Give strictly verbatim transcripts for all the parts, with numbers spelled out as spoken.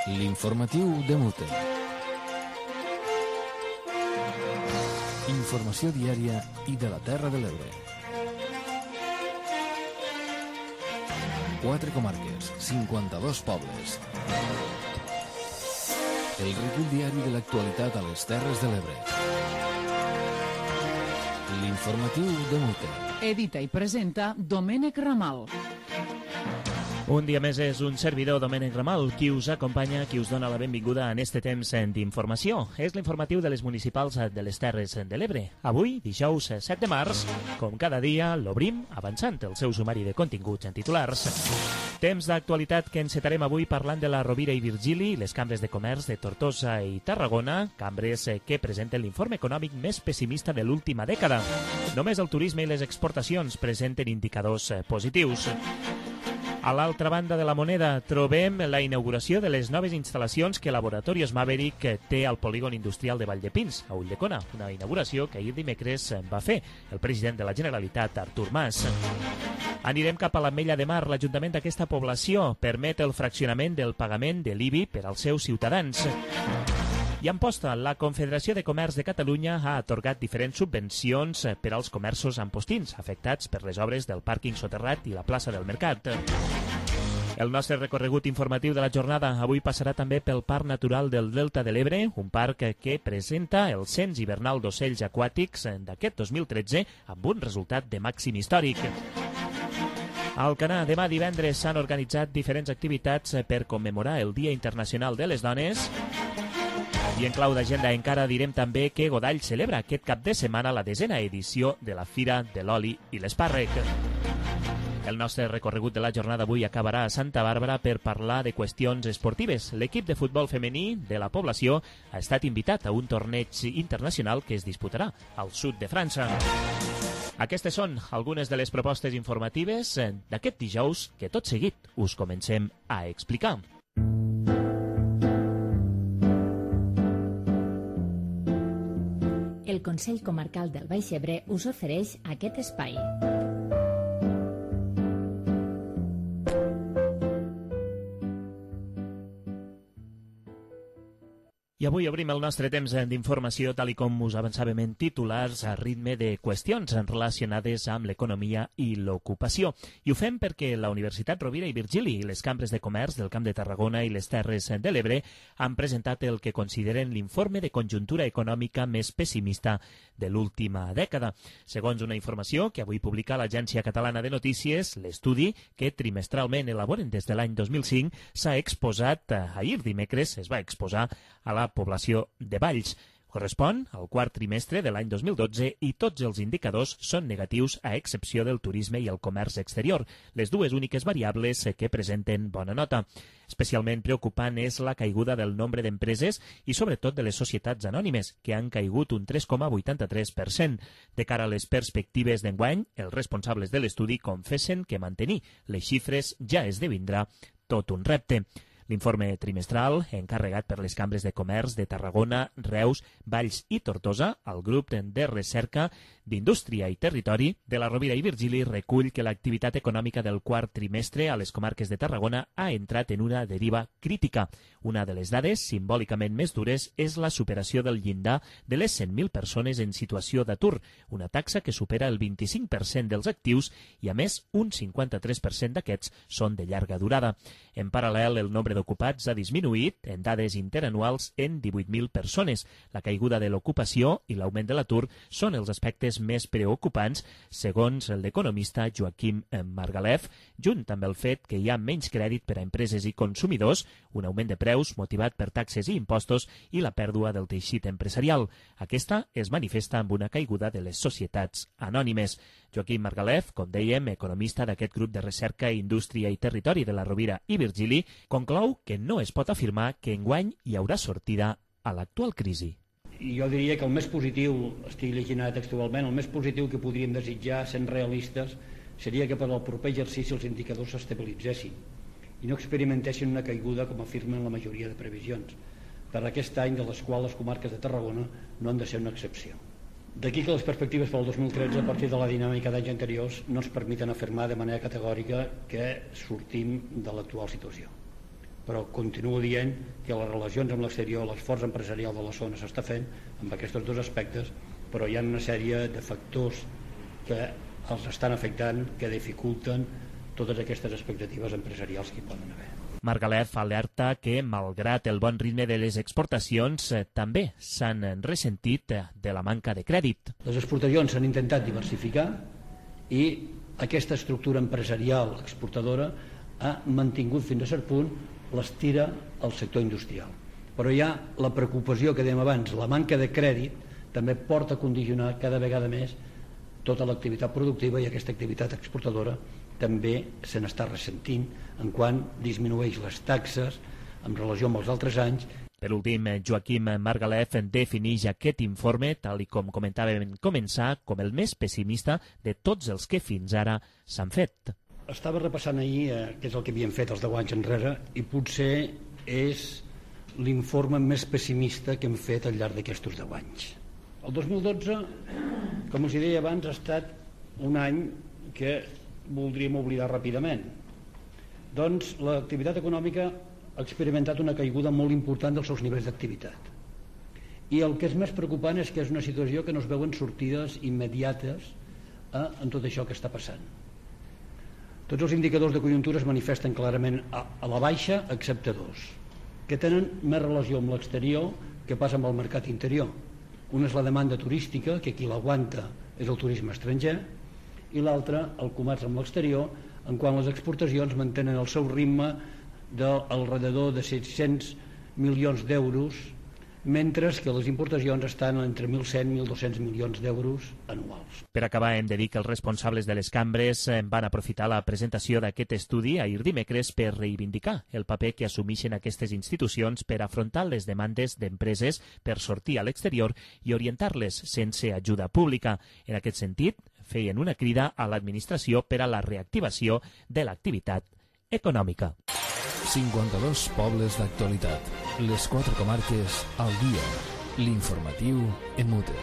L'informatiu de Mute. Informació diària i de la Terra de l'Ebre. Quatre comarques, cinquanta-dos pobles. El recull diari de l'actualitat a les Terres de l'Ebre. L'informatiu de Mute. Edita i presenta Domènec Ramal. Un dia més és un servidor, Domènec Ramal, qui us acompanya, qui us dona la benvinguda en este temps d'informació. És l'informatiu de les municipals de les Terres de l'Ebre. Avui, dijous set de març, com cada dia, l'obrim avançant el seu sumari de continguts en titulars. Temps d'actualitat que encetarem avui parlant de la Rovira i Virgili, les cambres de comerç de Tortosa i Tarragona, cambres que presenten l'informe econòmic més pessimista de l'última dècada. Només el turisme i les exportacions presenten indicadors positius. A l'altra banda de la moneda trobem la inauguració de les noves instal·lacions que Laboratorios Maverick té al polígon industrial de Valldepins, a Ulldecona, una inauguració que ahir dimecres va fer el president de la Generalitat, Artur Mas. Anirem cap a l'Ametlla de Mar. L'Ajuntament d'aquesta població permet el fraccionament del pagament de l'I B I per als seus ciutadans. I en posta, la Confederació de Comerç de Catalunya ha atorgat diferents subvencions per als comerços ampostins afectats per les obres del pàrquing soterrat i la plaça del Mercat. El nostre recorregut informatiu de la jornada avui passarà també pel Parc Natural del Delta de l'Ebre, un parc que presenta el cens hivernal d'ocells aquàtics d'aquest dos mil tretze amb un resultat de màxim històric. Al Canà, demà divendres s'han organitzat diferents activitats per commemorar el Dia Internacional de les Dones. I en clau d'agenda encara direm també que Godall celebra aquest cap de setmana la desena edició de la Fira de l'Oli i l'Espàrrec. El nostre recorregut de la jornada avui acabarà a Santa Bàrbara per parlar de qüestions esportives. L'equip de futbol femení de la població ha estat invitat a un torneig internacional que es disputarà al sud de França. Aquestes són algunes de les propostes informatives d'aquest dijous que tot seguit us comencem a explicar. El Consell Comarcal del Baix Ebre us ofereix aquest espai. I avui obrim el nostre temps d'informació, tal i com us avançàvem en titulars, a ritme de qüestions relacionades amb l'economia i l'ocupació. I ho fem perquè la Universitat Rovira i Virgili i les cambres de comerç del Camp de Tarragona i les Terres de l'Ebre han presentat el que consideren l'informe de conjuntura econòmica més pessimista de l'última dècada. Segons una informació que avui publica l'Agència Catalana de Notícies, l'estudi, que trimestralment elaboren des de l'any dos mil cinc, s'ha exposat, ahir dimecres es va exposar a la població de Valls. Correspon al quart trimestre de l'any dos mil dotze i tots els indicadors són negatius a excepció del turisme i el comerç exterior, les dues úniques variables que presenten bona nota. Especialment preocupant és la caiguda del nombre d'empreses i sobretot de les societats anònimes, que han caigut un tres coma vuitanta-tres per cent. De cara a les perspectives d'enguany, els responsables de l'estudi confessen que mantenir les xifres ja esdevindrà tot un repte. L'informe trimestral, encarregat per les cambres de comerç de Tarragona, Reus, Valls i Tortosa, el grup de recerca d'Indústria i Territori de la Rovira i Virgili recull que l'activitat econòmica del quart trimestre a les comarques de Tarragona ha entrat en una deriva crítica. Una de les dades simbòlicament més dures és la superació del llindar de les cent mil persones en situació d'atur, una taxa que supera el vint-i-cinc per cent dels actius i, a més, un cinquanta-tres per cent d'aquests són de llarga durada. En paral·lel, el nombre d'ocupats ha disminuït en dades interanuals en divuit mil persones. La caiguda de l'ocupació i l'augment de l'atur són els aspectes més preocupants, segons l'economista Joaquim Margalef, junt amb el fet que hi ha menys crèdit per a empreses i consumidors, un augment de preus motivat per taxes i impostos i la pèrdua del teixit empresarial. Aquesta es manifesta amb una caiguda de les societats anònimes. Joaquim Margalef, com dèiem, economista d'aquest grup de recerca, indústria i territori de la Rovira i Virgili, conclou que no es pot afirmar que enguany hi haurà sortida a l'actual crisi. Jo diria que el més positiu, estic llegint textualment, el més positiu que podríem desitjar, sent realistes, seria que per al proper exercici els indicadors s'estabilitzessin i no experimentessin una caiguda com afirmen la majoria de previsions, per aquest any de les quals les comarques de Tarragona no han de ser una excepció. D'aquí que les perspectives pel dos mil tretze, a partir de la dinàmica d'anys anteriors, no ens permeten afirmar de manera categòrica que sortim de l'actual situació. però continuo dient que les relacions amb l'exterior, l'esforç empresarial de la zona s'està fent amb aquests dos aspectes, però hi ha una sèrie de factors que els estan afectant, que dificulten totes aquestes expectatives empresarials que hi poden haver. Margalef alerta que, malgrat el bon ritme de les exportacions, eh, també s'han ressentit de la manca de crèdit. Les exportacions s'han intentat diversificar i aquesta estructura empresarial exportadora ha mantingut fins a cert punt l'estira al sector industrial. Però hi ha la preocupació que dèiem abans, la manca de crèdit també porta a condicionar cada vegada més tota l'activitat productiva, i aquesta activitat exportadora també se n'està ressentint en quan disminueix les taxes en relació amb els altres anys. Per últim, Joaquim Margalef defineix aquest informe, tal i com comentàvem en començar, com el més pessimista de tots els que fins ara s'han fet. Estava repassant ahir eh, què és el que havíem fet els deu anys enrere, i potser és l'informe més pessimista que hem fet al llarg d'aquests deu anys. El dos mil dotze, com us deia abans, ha estat un any que voldríem oblidar ràpidament. Doncs l'activitat econòmica ha experimentat una caiguda molt important dels seus nivells d'activitat. I el que és més preocupant és que és una situació que no es veuen sortides immediates eh, en tot això que està passant. Tots els indicadors de conjuntura es manifesten clarament a, a la baixa, excepte dos, que tenen més relació amb l'exterior que passa amb el mercat interior. Una és la demanda turística, que qui l'aguanta és el turisme estranger, i l'altra, el comerç amb l'exterior, en quan les exportacions mantenen el seu ritme d'alrededor de set-cents milions d'euros, mentre que les importacions estan entre mil cent i mil dos-cents milions d'euros anuals. Per acabar, hem de dir que els responsables de les cambres van aprofitar la presentació d'aquest estudi ahir dimecres per reivindicar el paper que assumeixen aquestes institucions per afrontar les demandes d'empreses per sortir a l'exterior i orientar-les sense ajuda pública. En aquest sentit, feien una crida a l'administració per a la reactivació de l'activitat econòmica. cinquanta-dos pobles d'actualitat. Les quatre comarques al dia. L'informatiu en mute.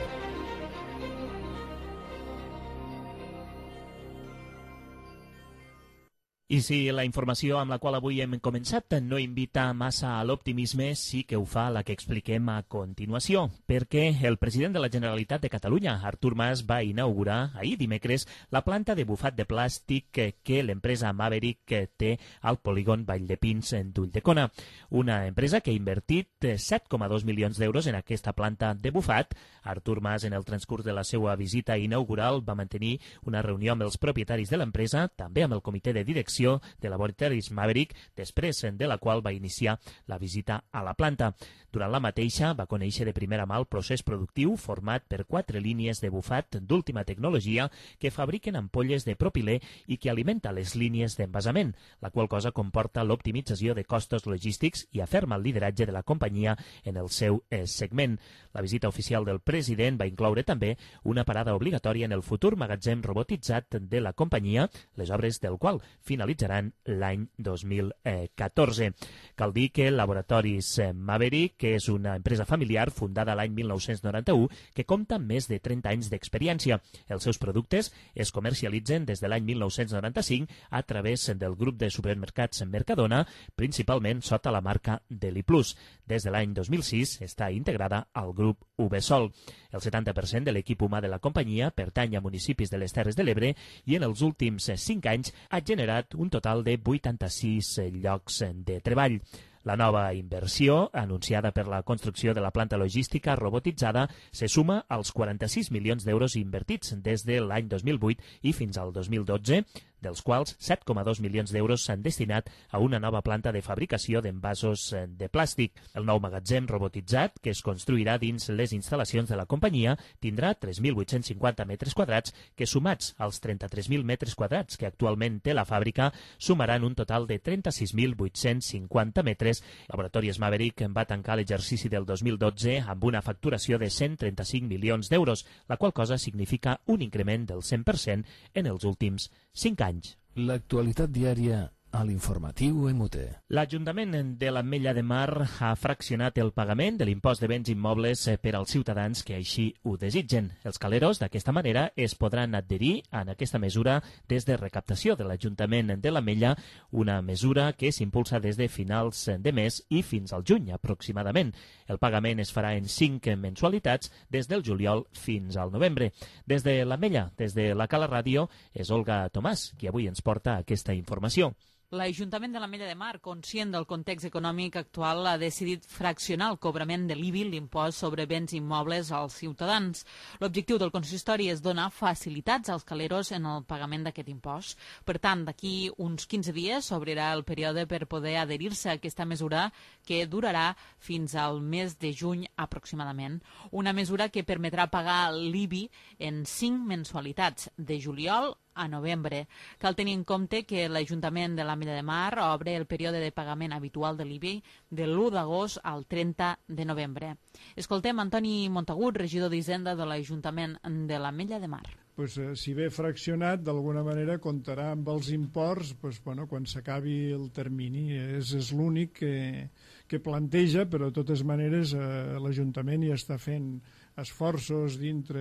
I si la informació amb la qual avui hem començat no invita massa a l'optimisme, sí que ho fa la que expliquem a continuació, perquè el president de la Generalitat de Catalunya, Artur Mas, va inaugurar ahir dimecres la planta de bufat de plàstic que l'empresa Maverick té al polígon Valldepins d'Ulldecona. Una empresa que ha invertit set coma dos milions d'euros en aquesta planta de bufat. Artur Mas, en el transcurs de la seva visita inaugural, va mantenir una reunió amb els propietaris de l'empresa, també amb el comitè de direcció de Laboratoris Maverick, després de la qual va iniciar la visita a la planta. Durant la mateixa va conèixer de primera mà el procés productiu format per quatre línies de bufat d'última tecnologia que fabriquen ampolles de propilè i que alimenta les línies d'envasament, la qual cosa comporta l'optimització de costos logístics i aferma el lideratge de la companyia en el seu eh, segment. La visita oficial del president va incloure també una parada obligatòria en el futur magatzem robotitzat de la companyia, les obres del qual finalitzaran l'any dos mil catorze. Cal dir que Laboratoris Maverick, que és una empresa familiar fundada l'any mil nou-cents noranta-u, que compta amb més de trenta anys d'experiència. Els seus productes es comercialitzen des de l'any mil nou-cents noranta-cinc a través del grup de supermercats Mercadona, principalment sota la marca Deli Plus. Des de l'any dos mil sis està integrada al grup Uvesol. El setanta per cent de l'equip humà de la companyia pertany a municipis de les Terres de l'Ebre i en els últims cinc anys ha generat un total de vuitanta-sis llocs de treball. La nova inversió, anunciada per la construcció de la planta logística robotitzada, se suma als quaranta-sis milions d'euros invertits des de l'any dos mil vuit i fins al dos mil dotze, dels quals set coma dos milions d'euros s'han destinat a una nova planta de fabricació d'envasos de plàstic. El nou magatzem robotitzat, que es construirà dins les instal·lacions de la companyia, tindrà tres mil vuit-cents cinquanta metres quadrats, que sumats als trenta-tres mil metres quadrats que actualment té la fàbrica, sumaran un total de trenta-sis mil vuit-cents cinquanta metres. Laboratoris Maverick va tancar l'exercici del dos mil dotze amb una facturació de cent trenta-cinc milions d'euros, la qual cosa significa un increment del cent per cent en els últims cinc anys. L'actualitat diària a l'informatiu EMUTE. L'Ajuntament de l'Ametlla de Mar ha fraccionat el pagament de l'impost de béns immobles per als ciutadans que així ho desitgen. Els caleros, d'aquesta manera, es podran adherir a aquesta mesura des de recaptació de l'Ajuntament de l'Ametlla, una mesura que s'impulsa des de finals de mes i fins al juny, aproximadament. El pagament es farà en cinc mensualitats des del juliol fins al novembre. Des de l'Ametlla, des de la Cala Ràdio, és Olga Tomàs, qui avui ens porta aquesta informació. L'Ajuntament de l'Ametlla de Mar, conscient del context econòmic actual, ha decidit fraccionar el cobrament de l'I B I, l'impost sobre béns immobles, als ciutadans. L'objectiu del consistori és donar facilitats als caleros en el pagament d'aquest impost. Per tant, d'aquí uns quinze dies s'obrirà el període per poder adherir-se a aquesta mesura, que durarà fins al mes de juny aproximadament. Una mesura que permetrà pagar l'I B I en cinc mensualitats, de juliol a novembre. Cal tenir en compte que l'Ajuntament de l'Ametlla de Mar obre el període de pagament habitual de l'I B I de l'u d'agost al trenta de novembre. Escoltem Antoni Montagut, regidor d'Hisenda de l'Ajuntament de l'Ametlla de Mar. Pues, eh, si ve fraccionat, d'alguna manera comptarà amb els imports pues, bueno, quan s'acabi el termini. És, és l'únic que, que planteja, però de totes maneres eh, l'Ajuntament ja està fent esforços dintre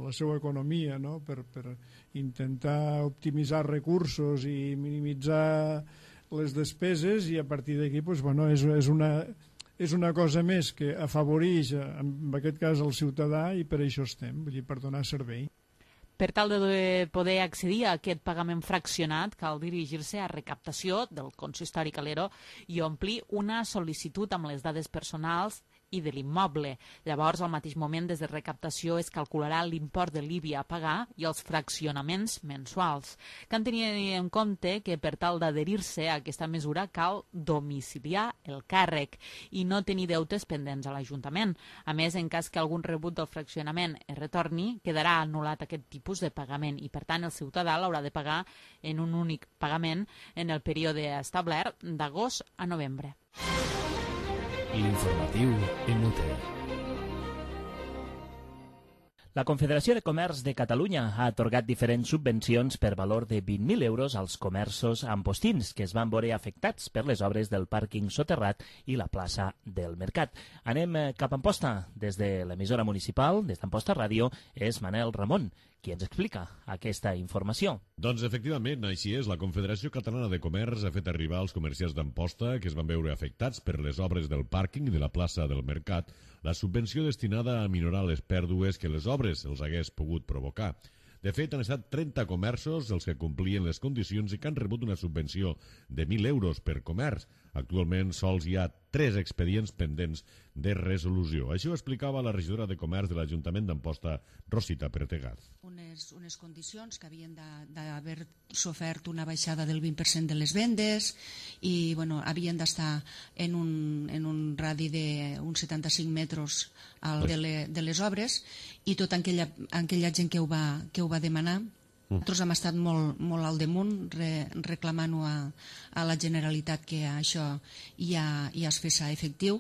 la seva economia, no? per, per intentar optimitzar recursos i minimitzar les despeses, i a partir d'aquí pues, bueno, és, és, una, és una cosa més que afavoreix, en aquest cas, el ciutadà, i per això estem, vull dir, per donar servei. Per tal de poder accedir a aquest pagament fraccionat, cal dirigir-se a recaptació del consistori calero i omplir una sol·licitud amb les dades personals i de l'immoble. Llavors, al mateix moment, des de recaptació es calcularà l'import de l'I B I a pagar i els fraccionaments mensuals. Cal tenir en compte que per tal d'adherir-se a aquesta mesura cal domiciliar el càrrec i no tenir deutes pendents a l'Ajuntament. A més, en cas que algun rebut del fraccionament es retorni, quedarà anul·lat aquest tipus de pagament i, per tant, el ciutadà l'haurà de pagar en un únic pagament en el període establert d'agost a novembre. L'informatiu EMUTE. La Confederació de Comerç de Catalunya ha atorgat diferents subvencions per valor de vint mil euros als comerços ampostins que es van veure afectats per les obres del pàrquing soterrat i la plaça del Mercat. Anem cap a Amposta. Des de l'emissora municipal, des d'Amposta Ràdio, és Manel Ramon, qui ens explica aquesta informació. Doncs efectivament, així és. La Confederació Catalana de Comerç ha fet arribar als comerciants d'Amposta que es van veure afectats per les obres del pàrquing i de la plaça del Mercat la subvenció destinada a minorar les pèrdues que les obres els hagués pogut provocar. De fet, han estat trenta comerços els que complien les condicions i que han rebut una subvenció de mil euros per comerç. Actualment sols hi ha tres expedients pendents de resolució. Això ho explicava la regidora de Comerç de l'Ajuntament d'Amposta, Rosita Pertegaz. Unes, unes condicions que havien d'haver sofert una baixada del vint per cent de les vendes i bueno, havien d'estar en, un, en un radi d'uns setanta-cinc metres al, de, le, de les obres, i tota aquella, aquella gent que ho va, que ho va demanar. Nosaltres hem estat molt, molt al damunt re, reclamant-ho a, a la Generalitat que això ja, ja es fes efectiu,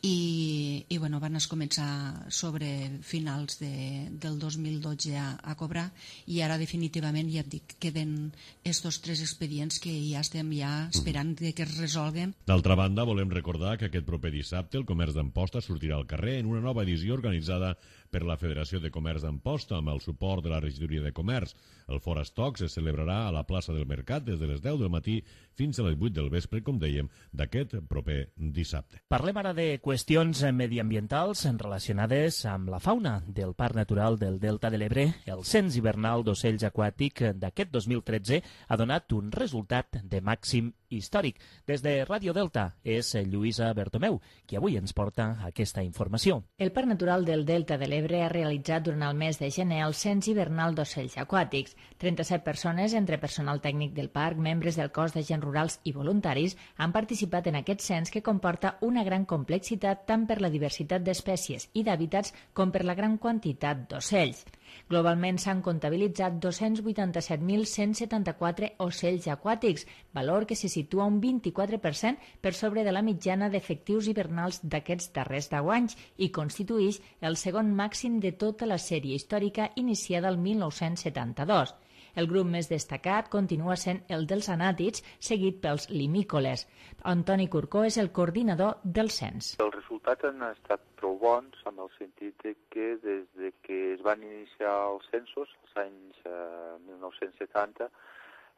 i, i bueno, van començar sobre finals de, del dos mil dotze a, a cobrar, i ara definitivament ja et dic, queden estos tres expedients que ja estem ja esperant que es resolguen. D'altra banda, volem recordar que aquest proper dissabte el comerç d'Amposta sortirà al carrer en una nova edició organitzada per la Federació de Comerç d'Amposta amb el suport de la Regidoria de Comerç. El Fora Stocks es celebrarà a la plaça del Mercat des de les deu del matí fins a les vuit del vespre, com dèiem, d'aquest proper dissabte. Parlem ara de qüestions mediambientals relacionades amb la fauna del Parc Natural del Delta de l'Ebre. El cens hivernal d'ocells aquàtic d'aquest dos mil tretze ha donat un resultat de màxim històric. Des de Ràdio Delta és Lluïsa Bertomeu, qui avui ens porta aquesta informació. El Parc Natural del Delta de l'Ebre ha realitzat durant el mes de gener el cens hivernal d'ocells aquàtics. trenta-set persones, entre personal tècnic del parc, membres del cos d'agents rurals i voluntaris, han participat en aquest cens que comporta una gran complexitat tant per la diversitat d'espècies i d'hàbitats com per la gran quantitat d'ocells. Globalment s'han comptabilitzat dos-cents vuitanta-set mil cent setanta-quatre ocells aquàtics, valor que se situa un vint-i-quatre per cent per sobre de la mitjana d'efectius hivernals d'aquests darrers deu anys i constituïx el segon màxim de tota la sèrie històrica iniciada el mil nou-cents setanta-dos. El grup més destacat continua sent el dels anàtids, seguit pels limícoles. Antoni Curcó és el coordinador del cens. Els resultats han estat prou bons, en el sentit de que des de que es van iniciar els censos, als anys eh, mil nou-cents setanta,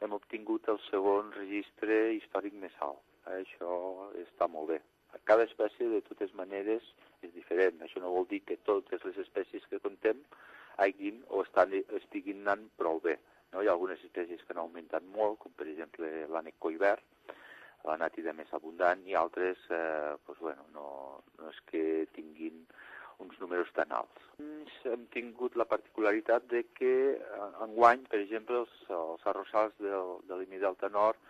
hem obtingut el segon registre històric més alt. Això està molt bé. Cada espècie, de totes maneres, és diferent. Això no vol dir que totes les espècies que contem hagin o estan, estiguin anant prou bé. No? Hi ha algunes espècies que han augmentat molt, com per exemple l'ànec collverd, l'anàtida més abundant, i altres eh, doncs, bueno, no, no és que tinguin uns números tan alts. Hem tingut la particularitat de que enguany, per exemple, els, els arrossars del, de l'Imi Delta Nord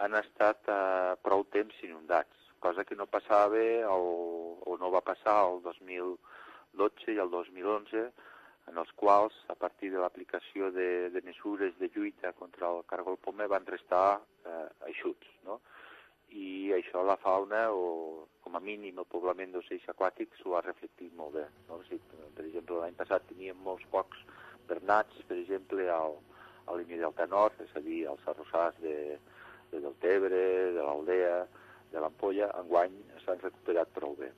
han estat eh, prou temps inundats, cosa que no passava el, o no va passar el dos mil dotze i el dos mil onze, en els quals, a partir de l'aplicació de, de mesures de lluita contra el cargol pomer, van restar eh, eixuts, no? I això la fauna, o com a mínim el poblament d'ocells aquàtics, ho ha reflectit molt bé. No? O sigui, per exemple, l'any passat teníem molts pocs bernats, per exemple, al, a l'Imi Delta Nord, és a dir, als arrossars de, de Deltebre, de l'Aldea, de l'Ampolla, enguany s'han recuperat prou bé.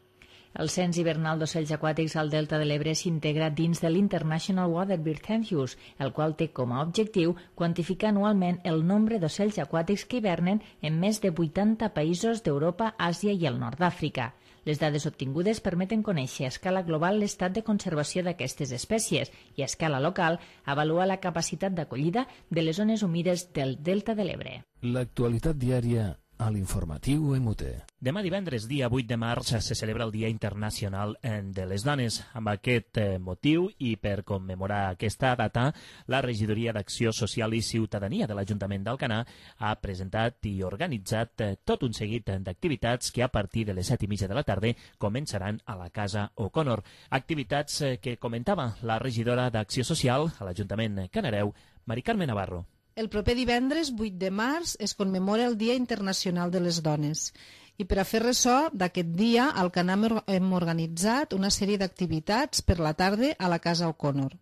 El cens hivernal d'ocells aquàtics al Delta de l'Ebre s'integra dins de l'International Waterbird Census, el qual té com a objectiu quantificar anualment el nombre d'ocells aquàtics que hivernen en més de vuitanta països d'Europa, Àsia i el nord d'Àfrica. Les dades obtingudes permeten conèixer a escala global l'estat de conservació d'aquestes espècies i a escala local avaluar la capacitat d'acollida de les zones humides del Delta de l'Ebre. L'actualitat diària a l'informatiu M T. Demà divendres, dia vuit de març, se celebra el Dia Internacional de les Dones. Amb aquest motiu i per commemorar aquesta data, la Regidoria d'Acció Social i Ciutadania de l'Ajuntament d'Alcanar ha presentat i organitzat tot un seguit d'activitats que a partir de les set i mitja de la tarda començaran a la Casa O'Connor. Activitats que comentava la regidora d'Acció Social a l'Ajuntament Canareu, Mari Carme Navarro. El proper divendres, vuit de març, es commemora el Dia Internacional de les Dones. I per a fer ressò d'aquest dia, al Canam hem organitzat una sèrie d'activitats per la tarda a la Casa O'Connor.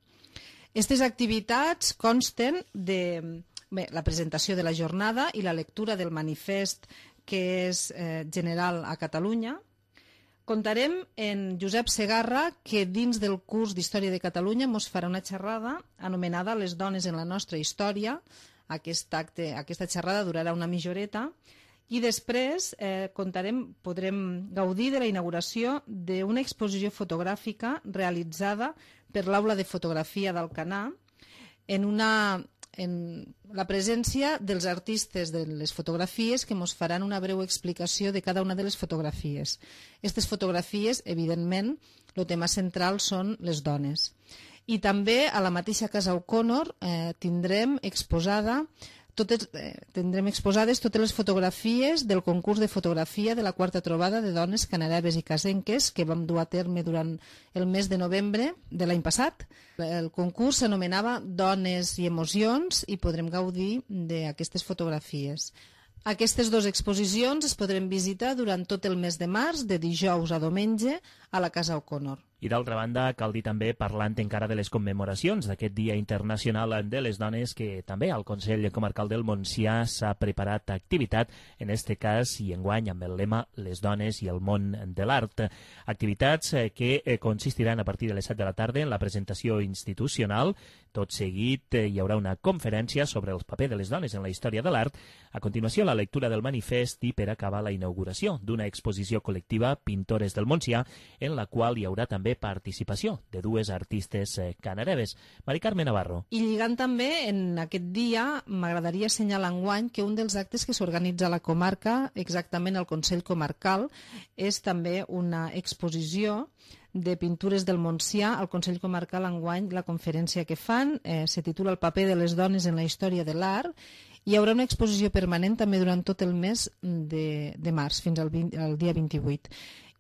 Aquestes activitats consten de bé, la presentació de la jornada i la lectura del manifest que és eh, general a Catalunya. Contarem en Josep Segarra, que dins del curs d'Història de Catalunya ens farà una xerrada anomenada Les dones en la nostra història. Aquest acte, aquesta xerrada durarà una mitja horeta. I després eh, contarem, podrem gaudir de la inauguració d'una exposició fotogràfica realitzada per l'Aula de Fotografia d'Alcanar en una... en la presència dels artistes de les fotografies que ens faran una breu explicació de cada una de les fotografies. Aquestes fotografies, evidentment, el tema central són les dones. I també a la mateixa Casa O'Connor eh, tindrem exposada Totes, eh, tindrem exposades totes les fotografies del concurs de fotografia de la quarta trobada de dones canareves i casenques que vam dur a terme durant el mes de novembre de l'any passat. El concurs s'anomenava Dones i Emocions i podrem gaudir d'aquestes fotografies. Aquestes dues exposicions es podrem visitar durant tot el mes de març, de dijous a diumenge, a la Casa O'Connor. I d'altra banda, cal dir també, parlant encara de les commemoracions d'aquest Dia Internacional de les Dones, que també al Consell Comarcal del Montsià s'ha preparat activitat, en este cas i enguany amb el lema Les dones i el món de l'art. Activitats que consistiran a partir de les set de la tarda en la presentació institucional. Tot seguit hi haurà una conferència sobre el paper de les dones en la història de l'art. A continuació, la lectura del manifest i per acabar la inauguració d'una exposició col·lectiva Pintores del Montsià, en la qual hi haurà també participació de dues artistes canareves. Mari Carme Navarro. I lligant també en aquest dia, m'agradaria assenyalar enguany que un dels actes que s'organitza a la comarca, exactament al Consell Comarcal, és també una exposició de pintures del Montsià. Al Consell Comarcal enguany la conferència que fan eh, se titula El paper de les dones en la història de l'art. Hi haurà una exposició permanent també durant tot el mes de, de març, fins al, vint, al dia vint-i-vuit.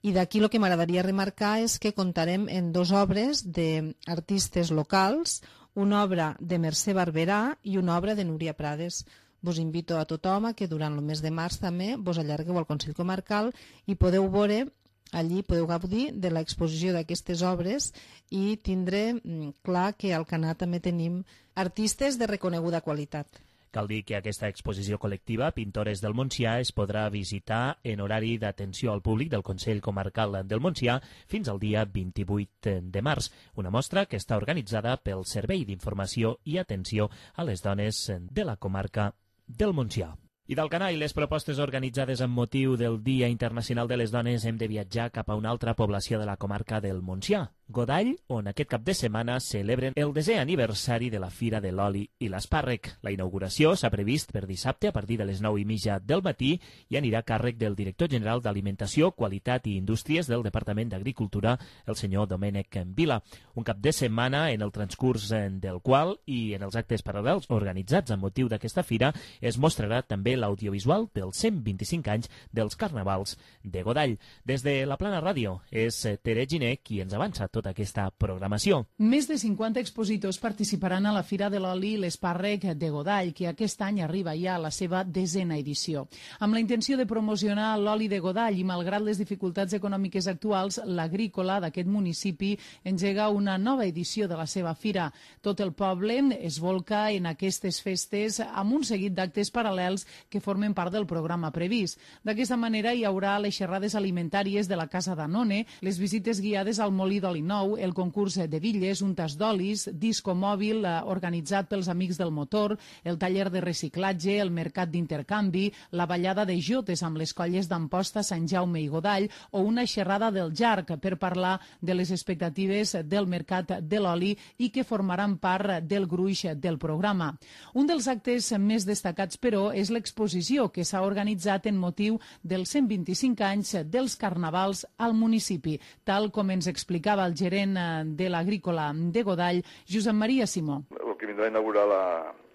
I d'aquí el que m'agradaria remarcar és que comptarem en dues obres d'artistes locals, una obra de Mercè Barberà i una obra de Núria Prades. Vos invito a tothom a que durant el mes de març també vos allargueu al Consell Comarcal i podeu veure allí podeu gaudir de l'exposició d'aquestes obres i tindre clar que al Canà també tenim artistes de reconeguda qualitat. Cal dir que aquesta exposició col·lectiva, Pintores del Montsià, es podrà visitar en horari d'atenció al públic del Consell Comarcal del Montsià fins al dia vint-i-vuit de març, una mostra que està organitzada pel Servei d'Informació i Atenció a les Dones de la comarca del Montsià. I del Canà i les propostes organitzades amb motiu del Dia Internacional de les Dones hem de viatjar cap a una altra població de la comarca del Montsià, Godall, on aquest cap de setmana celebren el desè aniversari de la Fira de l'Oli i l'Espàrrec. La inauguració s'ha previst per dissabte a partir de les nou i mitja del matí i anirà a càrrec del director general d'Alimentació, Qualitat i Indústries del Departament d'Agricultura, el senyor Domènec Vila. Un cap de setmana en el transcurs del qual i en els actes paral·lels organitzats amb motiu d'aquesta fira es mostrarà també l'audiovisual dels cent vint-i-cinc anys dels Carnavals de Godall. Des de la Plana Ràdio és Tere Giner qui ens avança tota aquesta programació. Més de cinquanta expositors participaran a la Fira de l'Oli i l'Espàrrec de Godall, que aquest any arriba ja a la seva desena edició. Amb la intenció de promocionar l'oli de Godall i malgrat les dificultats econòmiques actuals, l'agrícola d'aquest municipi engega una nova edició de la seva fira. Tot el poble es volca en aquestes festes amb un seguit d'actes paral·lels que formen part del programa previst. D'aquesta manera hi haurà les xerrades alimentàries de la Casa Danone, les visites guiades al molí d'oli nou, el concurs de bitlles, un tas d'olis, disco mòbil eh, organitzat pels Amics del Motor, el taller de reciclatge, el mercat d'intercanvi, la ballada de jotes amb les colles d'Amposta, Sant Jaume i Godall o una xerrada del Jarc per parlar de les expectatives del mercat de l'oli i que formaran part del gruix del programa. Un dels actes més destacats, però, és l'exposició que s'ha organitzat en motiu dels cent vint-i-cinc anys dels Carnavals al municipi, tal com ens explicava el gerent de l'agrícola de Godall, Josep Maria Simó. El que vindrà a inaugurar la,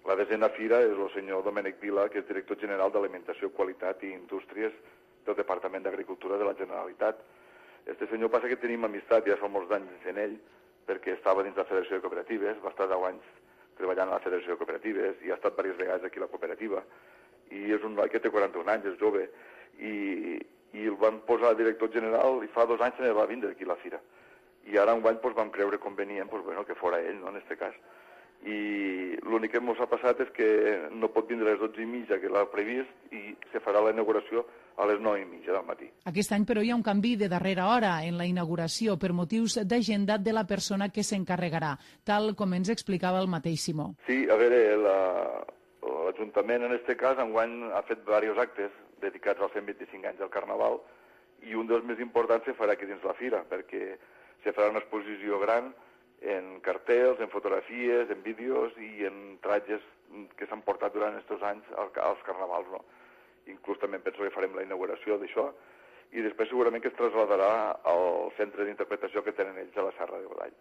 la desena fira és el senyor Domènec Vila, que és director general d'Alimentació, Qualitat i Indústries del Departament d'Agricultura de la Generalitat. Este senyor passa que tenim amistat ja fa molts anys en ell, perquè estava dins la Federació de Cooperatives, va estar deu anys treballant a la Federació de Cooperatives i ha estat diverses vegades aquí a la cooperativa. I és un noi que té quaranta-un anys, és jove, i, i el van posar director general i fa dos anys se ne va vindre aquí a la fira. I ara un any pues, vam creure convenient pues, bueno, que fora ell, no, en aquest cas. I l'únic que ens ha passat és que no pot vindre a les dotze i mitja, que l'ha previst, i se farà la inauguració a les nou i mitja del matí. Aquest any, però, hi ha un canvi de darrera hora en la inauguració per motius d'agendat de la persona que s'encarregarà, tal com ens explicava el mateix Simó. Sí, a veure, l'Ajuntament en aquest cas enguany ha fet diversos actes dedicats als cent vint-i-cinc anys del Carnaval i un dels més importants se farà aquí dins la fira, perquè se farà una exposició gran en cartells, en fotografies, en vídeos i en tratges que s'han portat durant aquests anys als carnavals, no? Inclús també penso que farem la inauguració d'això i després segurament que es trasladarà al centre d'interpretació que tenen ells a la Serra de Godall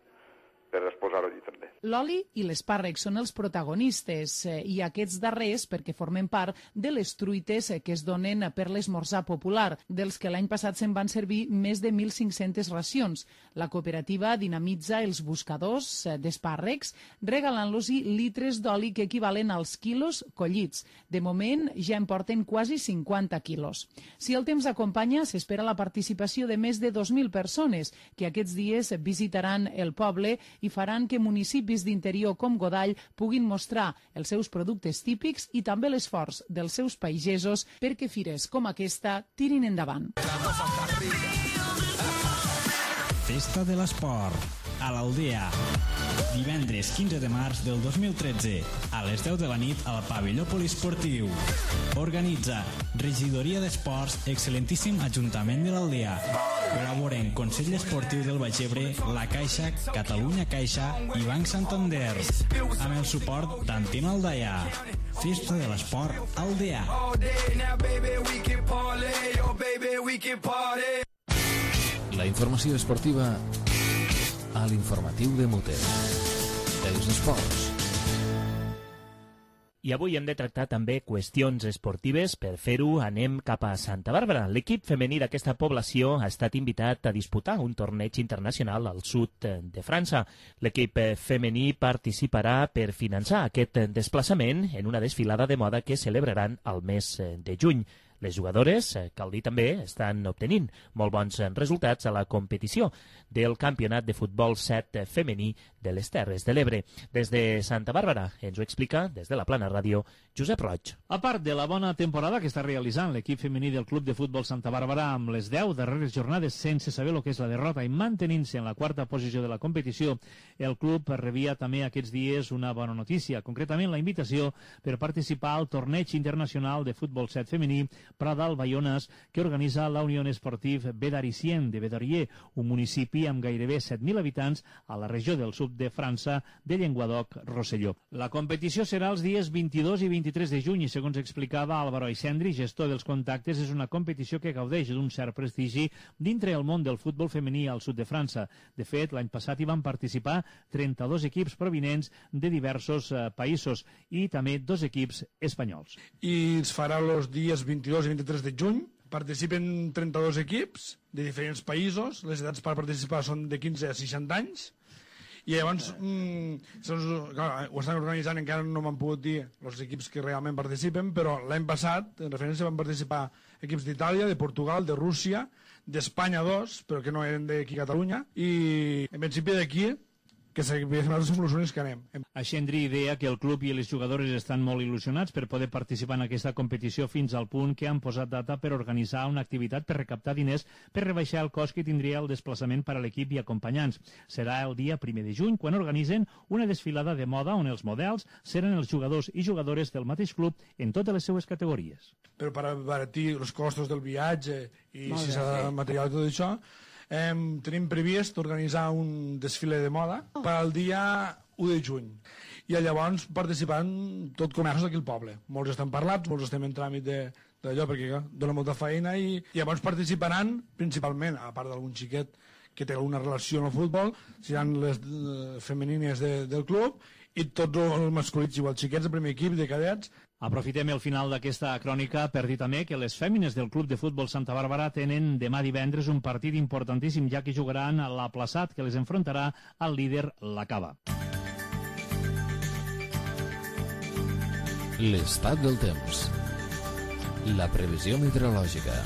per exposar-ho allí també. L'oli i l'espàrrec són els protagonistes eh, i aquests darrers perquè formen part de les truites eh, que es donen per l'esmorzar popular, dels que l'any passat se'n van servir més de mil cinc-centes racions. La cooperativa dinamitza els buscadors eh, d'espàrrecs regalant-los-hi litres d'oli que equivalen als quilos collits. De moment ja en porten quasi cinquanta quilos. Si el temps acompanya, s'espera la participació de més de dos mil persones que aquests dies visitaran el poble i faran que municipis d'interior com Godall puguin mostrar els seus productes típics i també l'esforç dels seus pagesos perquè fires com aquesta tirin endavant. Festa de l'Esport a l'Aldea. Divendres quinze de març del dos mil tretze, a les deu de la nit al pavelló poliesportiu. Organitza Regidoria d'Esports, excel·lentíssim Ajuntament de l'Aldea. Col·laboren Consell Esportiu del Baix Ebre, La Caixa, Catalunya Caixa i Banc Santander. Amb el suport d'Antena Aldea. Festa de l'Esport Aldea. La informació esportiva a l'informatiu de Muter. Els esports. I avui hem de tractar també qüestions esportives. Per fer-ho anem cap a Santa Bàrbara. L'equip femení d'aquesta població ha estat invitat a disputar un torneig internacional al sud de França. L'equip femení participarà per finançar aquest desplaçament en una desfilada de moda que celebraran al mes de juny. Les jugadores, cal dir també, estan obtenint molt bons resultats a la competició del Campionat de Futbol set femení de les Terres de l'Ebre. Des de Santa Bàrbara ens ho explica, des de la Plana Ràdio, Josep Roig. A part de la bona temporada que està realitzant l'equip femení del Club de Futbol Santa Bàrbara amb les deu darreres jornades sense saber el que és la derrota i mantenint-se en la quarta posició de la competició, el club rebia també aquests dies una bona notícia, concretament la invitació per participar al torneig internacional de futbol set femení Pradal-Baiones que organitza la Unió Esportiva Bedaricien de Bedarier, un municipi amb gairebé set mil habitants a la regió del sud de França de Llenguadoc-Rosselló. La competició serà els dies vint-i-dos i vint-i-tres de juny i, segons explicava Álvaro Aixendri, gestor dels contactes, és una competició que gaudeix d'un cert prestigi dintre el món del futbol femení al sud de França. De fet, l'any passat hi van participar trenta-dos equips provinents de diversos eh, països i també dos equips espanyols. I es farà els dies vint-i-dos i vint-i-tres de juny. Participen trenta-dos equips de diferents països. Les edats per participar són de quinze a seixanta anys. I llavors, mm, clar, ho estan organitzant, encara no m'han pogut dir els equips que realment participen, però l'any passat, en referència, van participar equips d'Itàlia, de Portugal, de Rússia, d'Espanya dos, però que no eren d'aquí a Catalunya, i en principi d'aquí, que nosaltres som els únics que anem. Aixendri deia que el club i les jugadores estan molt il·lusionats per poder participar en aquesta competició fins al punt que han posat data per organitzar una activitat per recaptar diners per rebaixar el cost que tindria el desplaçament per a l'equip i acompanyants. Serà el dia primer de juny quan organitzen una desfilada de moda on els models seran els jugadors i jugadores del mateix club en totes les seues categories. Però per abaratir els costos del viatge i si s'ha de material i tot això, Eh, tenim previst organitzar un desfile de moda per al dia u de juny i llavors participaran tot comerços d'aquí al poble. Molts estan parlats, molts estem en tràmit d'allò perquè ja, dona molta feina i, i llavors participaran principalment, a part d'algun xiquet que té alguna relació amb el futbol, seran les eh, femenines de, del club i tots els masculins igual, xiquets de primer equip, de cadets. Aprofitem el final d'aquesta crònica per dir també que les fèmines del Club de Futbol Santa Bàrbara tenen demà divendres un partit importantíssim, ja que jugaran a l'Aplaçat, que les enfrontarà al líder, la Cava. L'estat del temps. La previsió meteorològica.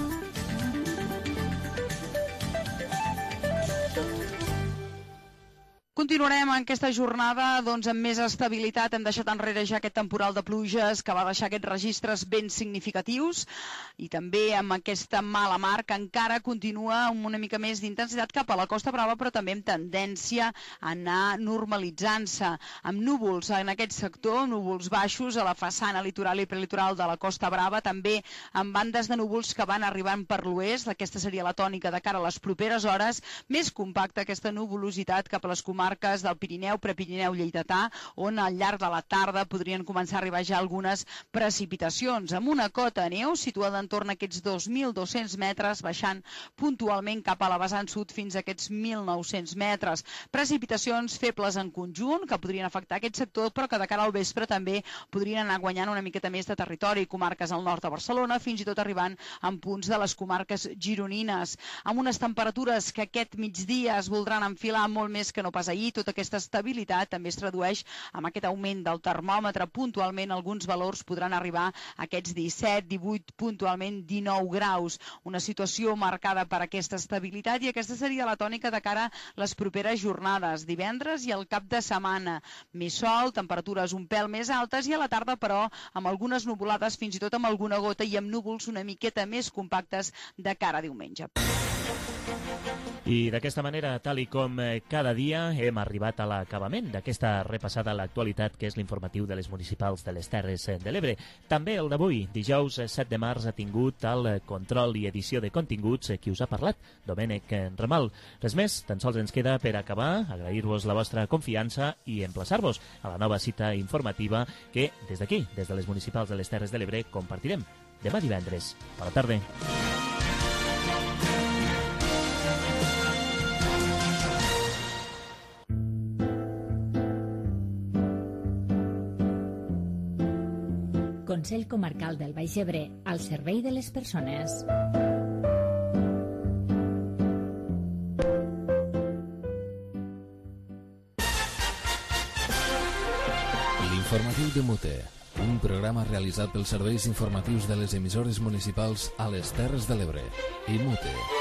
Continuarem en aquesta jornada doncs, amb més estabilitat. Hem deixat enrere ja aquest temporal de pluges que va deixar aquests registres ben significatius i també amb aquesta mala mar que encara continua amb una mica més d'intensitat cap a la Costa Brava, però també amb tendència a anar normalitzant-se. Amb núvols en aquest sector, núvols baixos a la façana litoral i prelitoral de la Costa Brava, també amb bandes de núvols que van arribant per l'oest. Aquesta seria la tònica de cara a les properes hores. Més compacta aquesta nuvolositat cap a les comarques del Pirineu, Prepirineu, Lleidatà, on al llarg de la tarda podrien començar a arribar ja algunes precipitacions, amb una cota de neu situada entorn a aquests dos mil dos-cents metres, baixant puntualment cap a la vessant sud fins a aquests mil nou-cents metres. Precipitacions febles en conjunt, que podrien afectar aquest sector, però que de cara al vespre també podrien anar guanyant una miqueta més de territori, comarques al nord de Barcelona, fins i tot arribant en punts de les comarques gironines, amb unes temperatures que aquest migdia es voldran enfilar molt més que no pas ahir. Tota aquesta estabilitat també es tradueix amb aquest augment del termòmetre. Puntualment alguns valors podran arribar a aquests disset, divuit, puntualment dinou graus. Una situació marcada per aquesta estabilitat i aquesta seria la tònica de cara a les properes jornades. Divendres i el cap de setmana. Més sol, temperatures un pèl més altes i a la tarda, però, amb algunes nuvolades, fins i tot amb alguna gota i amb núvols una miqueta més compactes de cara a diumenge. I d'aquesta manera, tal i com cada dia, hem arribat a l'acabament d'aquesta repassada a l'actualitat, que és l'informatiu de les municipals de les Terres de l'Ebre. També el d'avui, dijous set de març, ha tingut el control i edició de continguts qui us ha parlat, Domènec Ramal. Res més, tan sols ens queda per acabar, agrair-vos la vostra confiança i emplaçar-vos a la nova cita informativa que, des d'aquí, des de les municipals de les Terres de l'Ebre, compartirem demà divendres. Bona tarda. Consell Comarcal del Baix Ebre, al servei de les persones. L'informatiu de Mute. un programa realitzat pels serveis informatius de les emissores municipals a les Terres de l'Ebre. I Mute.